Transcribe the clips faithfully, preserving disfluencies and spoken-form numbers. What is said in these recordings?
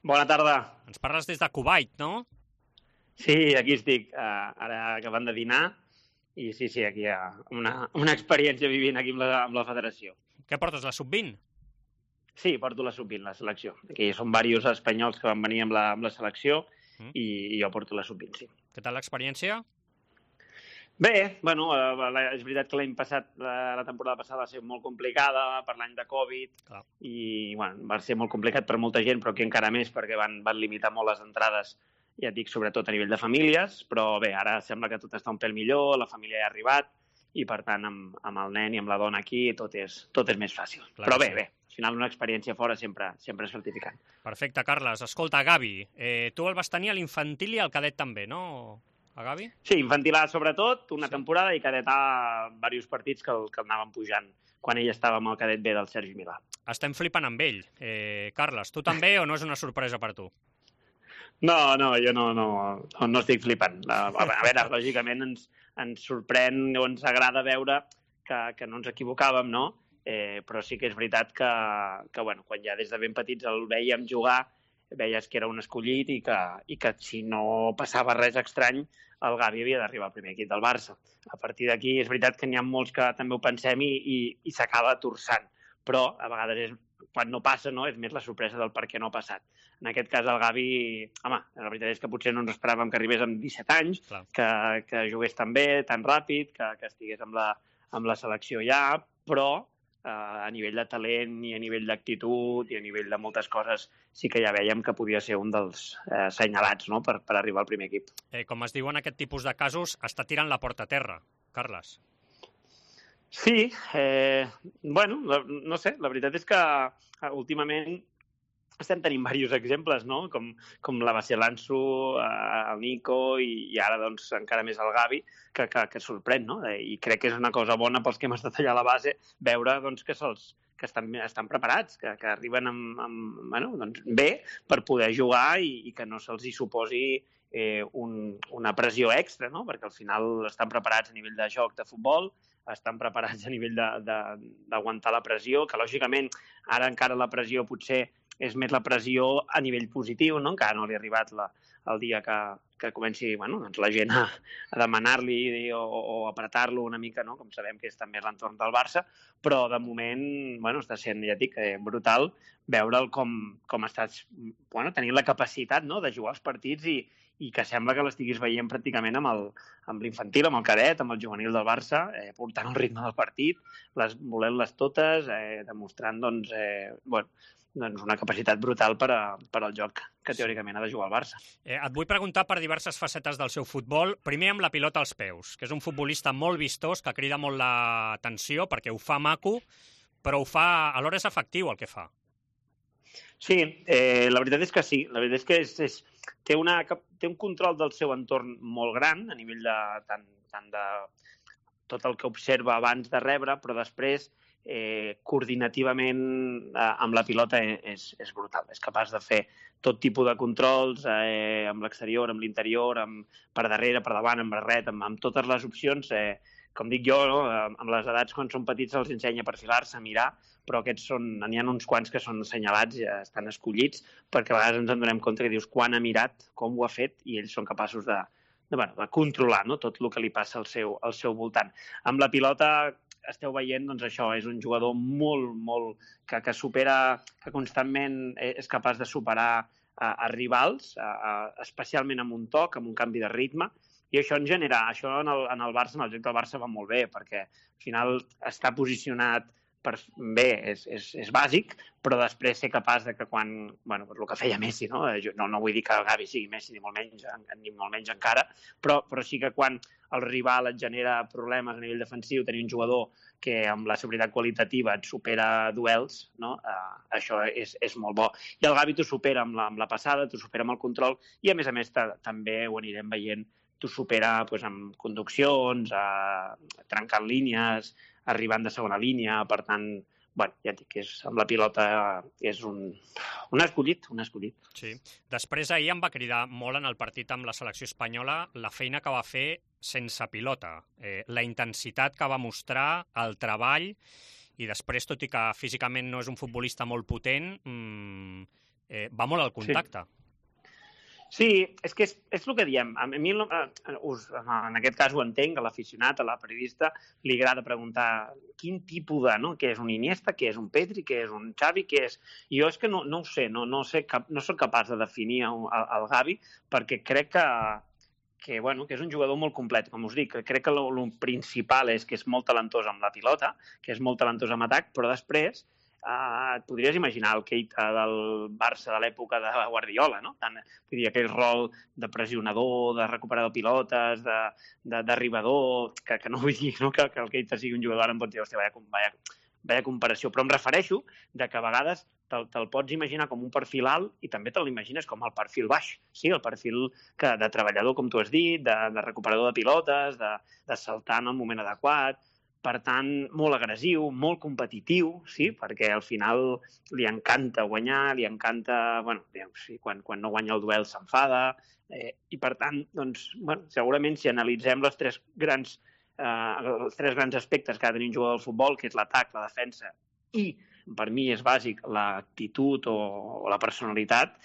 Bona tarda. Ens parles des de Kuwait, no? Sí, aquí estic, uh, ara acabant de dinar, i sí, sí, aquí hi ha una, una experiència vivint aquí amb la, amb la federació. Què portes, la sub vint? Sí, porto la sub vint, la selecció. Aquí són diversos espanyols que van venir amb la, amb la selecció mm. i, i jo porto la sub vint, sí. Què tal l'experiència? Bé, bueno, eh, és veritat que l'any passat, la, la temporada passada va ser molt complicada per l'any de Covid. Clar. I bueno, va ser molt complicat per molta gent, però aquí encara més perquè van, van limitar molt les entrades, ja et dic, sobretot a nivell de famílies, però bé, ara sembla que tot està un pèl millor, la família ja ha arribat, i per tant amb, amb el nen i amb la dona aquí tot és, tot és més fàcil. Clar, però bé, sí. bé, al final una experiència fora sempre, sempre és gratificant. Perfecte, Carles. Escolta, Gavi, eh, tu el vas tenir a l'infantil i al cadet també, no? A Gavi? Sí, infantil A sobretot, una sí. temporada, i cadet A diversos partits que el, que el anàvem pujant quan ell estava amb el cadet B del Sergi Milà. Estem flipant amb ell. Eh, Carles, tu també o no és una sorpresa per tu? No, no, jo no, no, no, no estic flipant. A, a veure, lògicament ens, ens sorprèn o ens agrada veure que, que no ens equivocàvem, no? Eh, però sí que és veritat que, que bueno, quan ja des de ben petits el veiem jugar, veies que era un escollit i que, i que si no passava res estrany, el Gavi havia d'arribar al primer equip del Barça. A partir d'aquí és veritat que n'hi ha molts que també ho pensem i, i, i s'acaba torçant, però a vegades és quan no passa, no? És més la sorpresa del per què no ha passat. En aquest cas, el Gavi, home, la veritat és que potser no ens esperàvem que arribés amb disset anys, que, que jugués tan bé, tan ràpid, que, que estigués amb la, amb la selecció ja, però eh, a nivell de talent i a nivell d'actitud i a nivell de moltes coses sí que ja veiem que podia ser un dels eh, senyalats, no? per, per arribar al primer equip. Eh, com es diu en aquest tipus de casos, està tirant la porta a terra, Carles. Sí, eh, bueno, no sé, la veritat és que últimament estem tenint diversos exemples, no? Com, com la Base Lanço, el Nico i, i ara doncs encara més el Gavi, que, que, que sorprèn, no? I crec que és una cosa bona pels que hem estat allà a la base veure doncs, que se'ls que estan, estan preparats, que, que arriben amb, amb, bueno, doncs bé per poder jugar i, i que no se'ls hi suposi eh, un, una pressió extra, no? Perquè al final estan preparats a nivell de joc de futbol, estan preparats a nivell d'aguantar la pressió, que lògicament ara encara la pressió potser és més la pressió a nivell positiu, no? Encara no li ha arribat la, el dia que, que comenci bueno, doncs la gent a, a demanar-li o, o apretar-lo una mica, no? Com sabem que és també l'entorn del Barça, però de moment bueno, està sent, ja dic, eh, brutal veure'l com, com estàs bueno, tenint la capacitat, no? De jugar els partits i, i que sembla que l'estiguis veient pràcticament amb, el, amb l'infantil, amb el cadet, amb el juvenil del Barça, eh, portant el ritme del partit, les, volent-les totes, eh, demostrant doncs, eh, bueno, doncs una capacitat brutal per, a, per al joc que teòricament ha de jugar el Barça. Eh, et vull preguntar per diverses facetes del seu futbol. Primer amb la pilota als peus, que és un futbolista molt vistós, que crida molt l'atenció perquè ho fa maco, però ho fa, alhora és efectiu el que fa. Sí, eh, la veritat és que sí. La veritat és que és, és, té, una, té un control del seu entorn molt gran, a nivell de, tant, tant de tot el que observa abans de rebre, però després eh, coordinativament eh, amb la pilota és, és brutal. És capaç de fer tot tipus de controls eh, amb l'exterior, amb l'interior, per darrere, per davant, amb barret, amb, amb totes les opcions. Eh, com dic jo, no? Amb les edats quan són petits se'ls ensenya a perfilar-se, a mirar, però aquests són, n'hi ha uns quants que són assenyalats, ja estan escollits, perquè a vegades ens en donem compte que dius quan ha mirat, com ho ha fet, i ells són capaços de, de, bueno, de controlar, no? Tot el que li passa al seu, al seu voltant. Amb la pilota esteu veient, doncs això, és un jugador molt, molt, que, que supera, que constantment és capaç de superar a, a rivals, a, a, especialment amb un toc, amb un canvi de ritme, i això en genera, això en el, en el Barça, en el joc del Barça va molt bé, perquè al final està posicionat per, bé, és, és, és bàsic, però després ser capaç de que quan, bueno, el que feia Messi, no? Jo no, no vull dir que el Gavi sigui Messi, ni molt menys, ni molt menys encara, però, però sí que quan el rival et genera problemes a nivell defensiu, tenir un jugador que amb la seguretat qualitativa et supera duels, no? Uh, això és, és molt bo. I el Gavi t'ho supera amb la, amb la passada, t'ho supera amb el control, i a més a més també ho anirem veient, t'ho supera pues, amb conduccions, eh, trencant línies, arribant de segona línia, per tant, bueno, ja et dic que és, amb la pilota és un, un escollit, un escollit. Sí. Després ahir em va cridar molt en el partit amb la selecció espanyola la feina que va fer sense pilota, eh, la intensitat que va mostrar, el treball, i després, tot i que físicament no és un futbolista molt potent, mmm, eh, va molt al contacte. Sí. Sí, és que és, és el que diem. A mi, us, en aquest cas ho entenc, a l'aficionat, a la periodista, li agrada preguntar quin tipus de, no? Què és un Iniesta, què és un Pedri, què és un Xavi, què és... I jo és que no, no ho sé, no, no, sé cap, no soc capaç de definir el, el Gavi, perquè crec que, que, bueno, que és un jugador molt complet, com us dic. Crec que el principal és que és molt talentós amb la pilota, que és molt talentós amb atac, però després... Uh, et podries imaginar el Keita del Barça de l'època de Guardiola, no? Tant, vull dir, aquell rol de pressionador, de recuperador pilotes, d'arribador, que, que no vull dir no? que, que el Keita sigui un jugador, ara em pots dir, hòstia, vaya, vaya, vaya comparació, però em refereixo de que a vegades te'l te pots imaginar com un perfil alt i també te l'imagines com el perfil baix, sí? El perfil que, de treballador, com tu has dit, de, de recuperador de pilotes, de, de saltar en el moment adequat. Per tant, molt agressiu, molt competitiu, sí? Perquè al final li encanta guanyar, li encanta... Bueno, sí, quan, quan no guanya el duel s'enfada, eh, i per tant, doncs, bueno, segurament si analitzem les tres grans, eh, els tres grans aspectes que ha de tenir un jugador del futbol, que és l'atac, la defensa i, per mi és bàsic, l'actitud o, o la personalitat,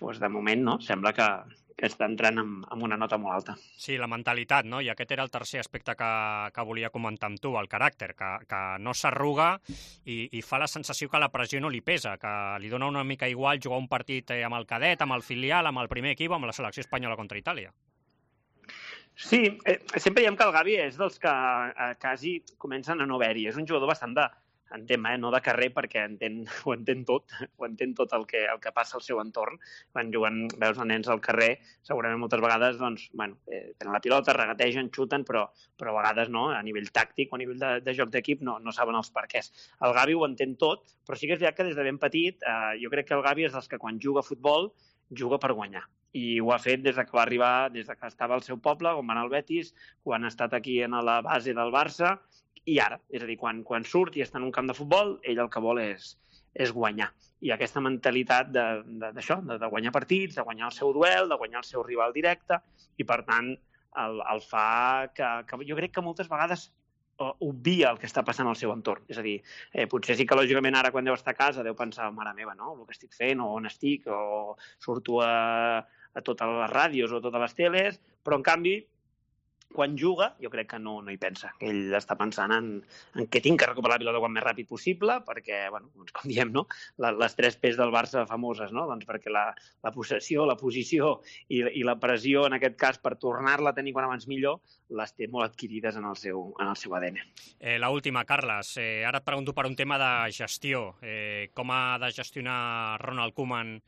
doncs de moment no, sembla que... que està entrant amb, amb una nota molt alta. Sí, la mentalitat, no? I aquest era el tercer aspecte que, que volia comentar amb tu, el caràcter, que, que no s'arruga i, i fa la sensació que la pressió no li pesa, que li dona una mica igual jugar un partit amb el cadet, amb el filial, amb el primer equip, amb la selecció espanyola contra Itàlia. Sí, eh, sempre diem que el Gavi és dels que eh, quasi comencen a no haver-hi. És un jugador bastant de, entén, eh, no de carrer, perquè entén, ho entén tot, ho entén tot el que, el que passa al seu entorn. Quan juguen, veus els nens al carrer, segurament moltes vegades doncs, bueno, eh, tenen la pilota, regategen, xuten, però, però a vegades no, a nivell tàctic o a nivell de, de joc d'equip no, no saben els perquès. El Gavi ho entén tot, però sí que és veritat que des de ben petit eh, jo crec que el Gavi és dels que quan juga a futbol juga per guanyar. I ho ha fet des que va arribar, des que estava al seu poble, on va anar al Betis, quan ha estat aquí a la base del Barça, i ara, és a dir, quan, quan surt i està en un camp de futbol, ell el que vol és, és guanyar. I aquesta mentalitat d'això, de, de, de guanyar partits, de guanyar el seu duel, de guanyar el seu rival directe, i per tant el, el fa que, que jo crec que moltes vegades obvia el que està passant al seu entorn. És a dir, eh, potser sí que lògicament ara quan deu estar a casa deu pensar, mare meva, no? El que estic fent, o on estic, o surto a, a totes les ràdios o a totes les teles, però en canvi quan juga, jo crec que no, no hi pensa. Ell està pensant en, en que tinc que recuperar la pilota quan més ràpid possible, perquè, bueno, doncs com diem, no? Les tres P's del Barça famoses, no? Doncs perquè la, la possessió, la posició i, i la pressió, en aquest cas, per tornar-la a tenir quan abans millor, les té molt adquirides en el seu, en el seu A D N. Eh, la última, Carles. Eh, ara et pregunto per un tema de gestió. Eh, com ha de gestionar Ronald Koeman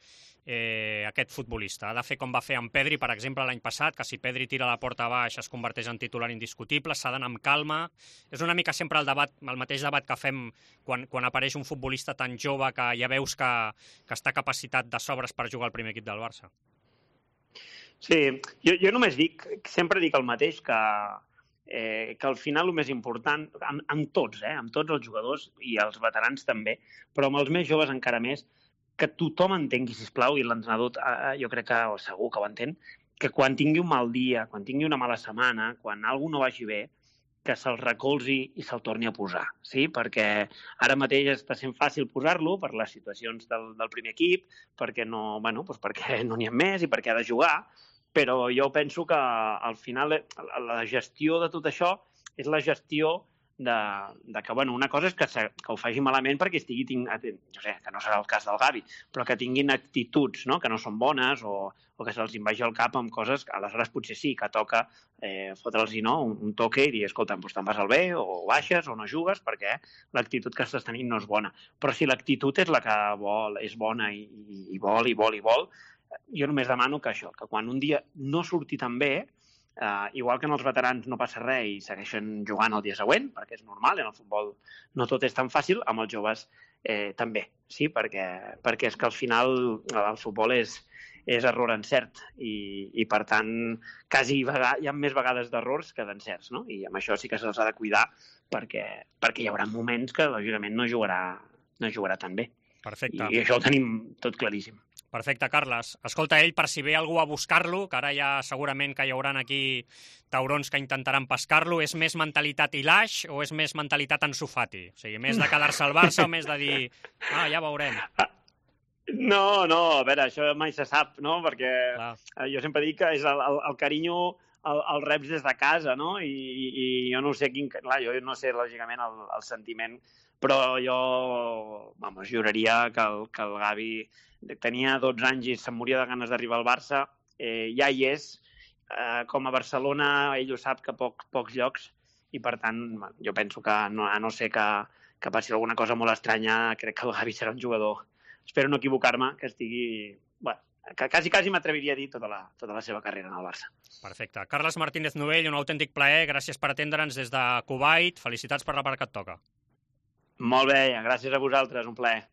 Eh, aquest futbolista? Ha de fer com va fer amb Pedri, per exemple, l'any passat, que si Pedri tira la porta baix es converteix en titular indiscutible, s'ha d'anar amb calma. És una mica sempre el debat, el mateix debat que fem quan, quan apareix un futbolista tan jove que ja veus que, que està capacitat de sobres per jugar al primer equip del Barça. Sí, jo, jo només dic, sempre dic el mateix, que, eh, que al final el més important, amb, amb tots, eh, amb tots els jugadors i els veterans també, però amb els més joves encara més, que tothom entengui, sisplau, i l'entrenador eh, jo crec que o segur que ho entén, que quan tingui un mal dia, quan tingui una mala setmana, quan alguna no vagi bé, que se'l recolzi i se'l torni a posar, sí? Perquè ara mateix està sent fàcil posar-lo per les situacions del, del primer equip, perquè no, bueno, doncs perquè no n'hi ha més i perquè ha de jugar, però jo penso que al final la gestió de tot això és la gestió De, de que, bueno, una cosa és que, se, que ho faci malament perquè estigui, tinc, no sé, que no serà el cas del Gavi, però que tinguin actituds, no?, que no són bones o, o que se'ls invagi el cap amb coses que aleshores potser sí, que toca eh, fotre'ls-hi, no?, un, un toque i dir, escolta, doncs te'n vas al bé o baixes o no jugues perquè l'actitud que estàs tenint no és bona. Però si l'actitud és la que vol, és bona i, i, i vol, i vol, i vol, jo només demano que això, que quan un dia no surti tan bé, Uh, igual que en els veterans no passa res i segueixen jugant el dia següent, perquè és normal, en el futbol no tot és tan fàcil, amb els joves eh, també, sí, perquè, perquè és que al final el futbol és, és error encert i, i per tant quasi vegada, hi ha més vegades d'errors que d'encerts, no? I amb això sí que se'ls ha de cuidar perquè, perquè hi haurà moments que lògicament no jugarà, no jugarà tan bé. Perfecte. I, i això ho tenim tot claríssim. Perfecte, Carles. Escolta, ell, per si ve algú a buscar-lo, que ara ja segurament que hi haurà aquí taurons que intentaran pescar-lo, és més mentalitat Ilaix o és més mentalitat Ansu Fati? O sigui, més de quedar-se al Barça o més de dir, ah, ja veurem? No, no, a veure, això mai se sap, no? Perquè Clar. jo sempre dic que és el, el, el carinyo el, el reps des de casa, no? I, i, i jo no sé quin... Clar, jo no sé, lògicament, el, el sentiment, però jo, vamos, juraria que el, que el Gavi tenia dotze anys i se'n moria de ganes d'arribar al Barça, eh, ja hi és, eh, com a Barcelona ell ho sap que poc, pocs llocs, i per tant, jo penso que no, a no ser que, que passi alguna cosa molt estranya, crec que el Gavi serà un jugador, espero no equivocar-me, que estigui... Bueno, que quasi, quasi m'atreviria a dir tota la, tota la seva carrera en el Barça. Perfecte. Carles Martínez Novell, un autèntic plaer. Gràcies per atendre'ns des de Kuwait. Felicitats per la part que et toca. Molt bé, gràcies a vosaltres, un plaer.